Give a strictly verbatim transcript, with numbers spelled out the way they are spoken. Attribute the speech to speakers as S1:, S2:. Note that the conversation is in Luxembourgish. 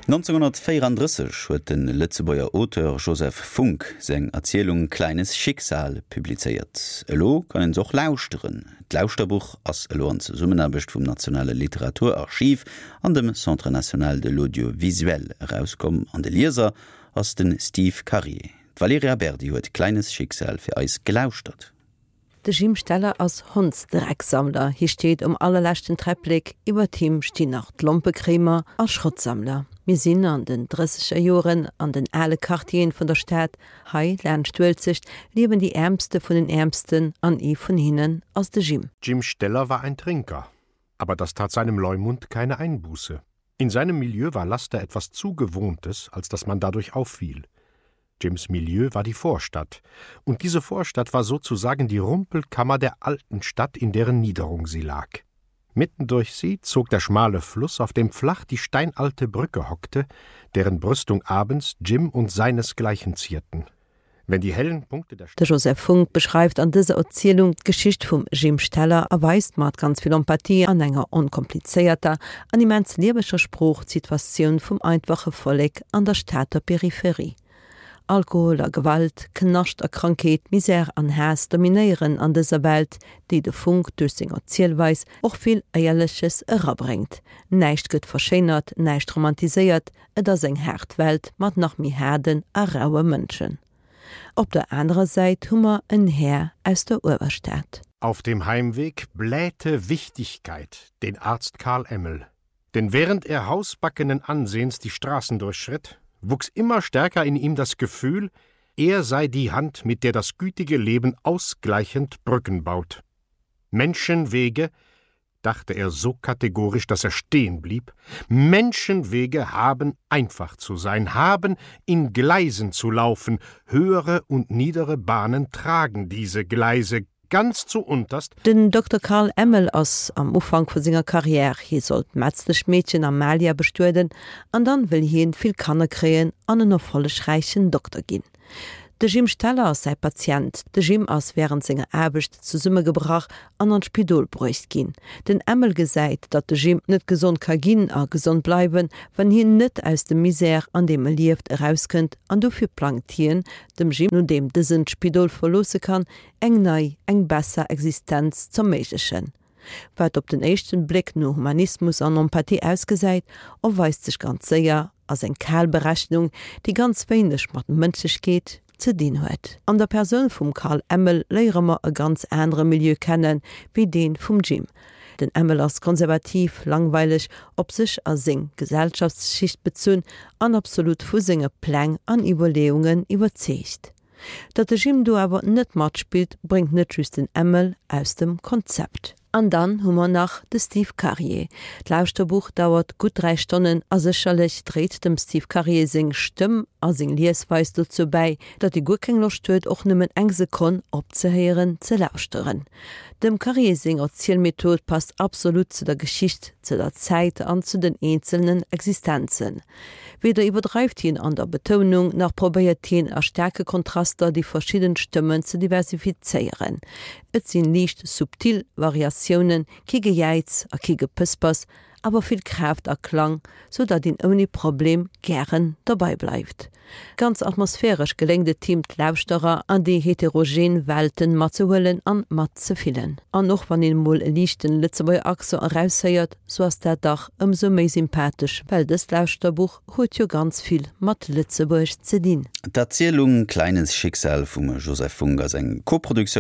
S1: Nonzénghonnertvéierandrësseg huet de Lëtzebuerger Auteur Joseph Funk seng Erzielung Kleines Schicksal publizéiert. Elo kann een se och lauschteren. D'Lauschterbuch ass elo an Zesummenaarbecht vum Nationale Literaturarchiv an dem Centre national de l'audiovisuel erauskomm an de Lieser ass de Steve Karier. D'Valerija Berdi huet Kleines Schicksal fir eis gelauschtert.
S2: De Jim Steller ass Hondsdrecksammler. Hie steet um allerleschten Träpplek, iwwer him stinn nach d'Lompekréimer a Schrottsammler. Mir sinn an den drësseger Joren an den ale Quartieren vun der Stad, hei laanscht d'Uelzecht, liewen déi Äermste vun den Äermsten an ee vun hinnen ass de Jim.
S3: Jim Steller war ein Trinker, aber das tat seinem Leumund keine Einbuße. In seinem Milieu war Laster etwas zu Gewohntes, als dass man dadurch auffiel. Jims Milieu war die Vorstadt, und diese Vorstadt war sozusagen die Rumpelkammer der alten Stadt, in deren Niederung sie lag. Mitten durch sie zog der schmale Fluss, auf dem flach die steinalte Brücke hockte, deren Brüstung abends Jim und seinesgleichen zierten. Wenn die hellen Punkte der
S2: De Joseph Funk beschreift an dëser Erzielung d'Geschicht vum Jim Steller a weist mat ganz vill Empathie an enger onkomplizéierter an immens lieweger Sprooch d'Situatioun vum einfache Vollek an der Stater Peripherie. Alkohol a Gewalt, Knascht a Krankheet, Misär an Haass dominéieren an dëser Welt, déi de Funk duerch seng Erzielweis och vill Éierleches erabréngt. Näischt gëtt verschéinert, näischt romantiséiert, et ass eng haart Welt mat nach méi haarden a raue Mënschen. Op der anerer Säit hu mer en Här aus der Uewerstad.
S3: Auf dem Heimweg blähte Wichtigkeit den Arzt Karl Emmel. Denn während er hausbackenen Ansehens die Straßen durchschritt, wuchs immer stärker in ihm das Gefühl, er sei die Hand, mit der das gütige Leben ausgleichend Brücken baut. Menschenwege, dachte er so kategorisch, dass er stehen blieb, Menschenwege haben einfach zu sein, haben in Gleisen zu laufen, höhere und niedere Bahnen tragen diese Gleise ganz zuunterst.
S2: Den Dokter Karl Emmel ass am Ufank vu senger Karriär, hie soll d'Metzleschmeedchen Amalia bestueden an dann wëll hien vill Kanner kréien an en erfollegräichen Dokter ginn. De Jim Steller ass säi Patient. De Jim ass wärend senger Aarbecht zesummegebrach an an d'Spidol bruecht ginn. Den Emmel gesäit, datt de Jim net gesond ka ginn a gesond bleiwen, wann hien net aus dem Misär, an deem e lieft, erauskënnt an dofir plangt hien, dem Jim, nodeem dësen d'Spidol verloosse kann, eng nei, eng besser Existenz z'erméiglechen. Wat op den éischten Bléck no Humanismus an Empathie ausgesäit, erweist sech ganz séier als eng kal Berechnung, déi ganz wéineg mat Mënschlechkeet ze dinn huet. An der Persoun vum Karl Emmel léiere mer e ganz anere Milieu kennen, wéi dee vum Jim. Den Emmel ass konservativ, langweileg, op sech a seng Gesellschaftsschicht bezunn an absolut vu senge Pläng an Iwwerleeungen iwwerzeegt. Datt de Jim do awer net matspillt, bréngt net just den Emmel aus dem Konzept. An dann hu mer nach de Steve Karier. D'Lauschterbuch dauert gutt dräi Stonnen a sécherlech dréit dem Steve Karier seng Stëmm a seng Liesweis dozou bäi, datt ee guer keng Loscht huet, och nëmmen eng Sekonn opzehéieren ze lauschteren. Dem Karier seng Erzielmethod passt absolut zu der Geschicht, zu der Zäit an zu den eenzelnen Existenzen. Weder iwwerdreift hien an der Betounung, nach probéiert hien a staarke Kontraster déi verschidden Stëmmen ze diversifizéieren. Et sinn liicht subtil Variatiounen, kee Gejäiz a kee Gepëspers, awer vill Kraaft a Klang, sou datt een ouni Problem gären dobäi bleift. Ganz atmosphäresch geléngt et him, d'Lauschterer an déi heterogen Welten matzehuelen an matzefillen. An och wann een mol e liichten Lëtzebuerger Accent eraushéiert, sou ass dat dach ëmsou méi sympathesch, well dëst Lauschterbuch huet jo ganz vill mat Lëtzebuerg ze dinn.
S1: D'Erzielung Kleines Schicksal vum Joseph Funk ass eng Koproduktioun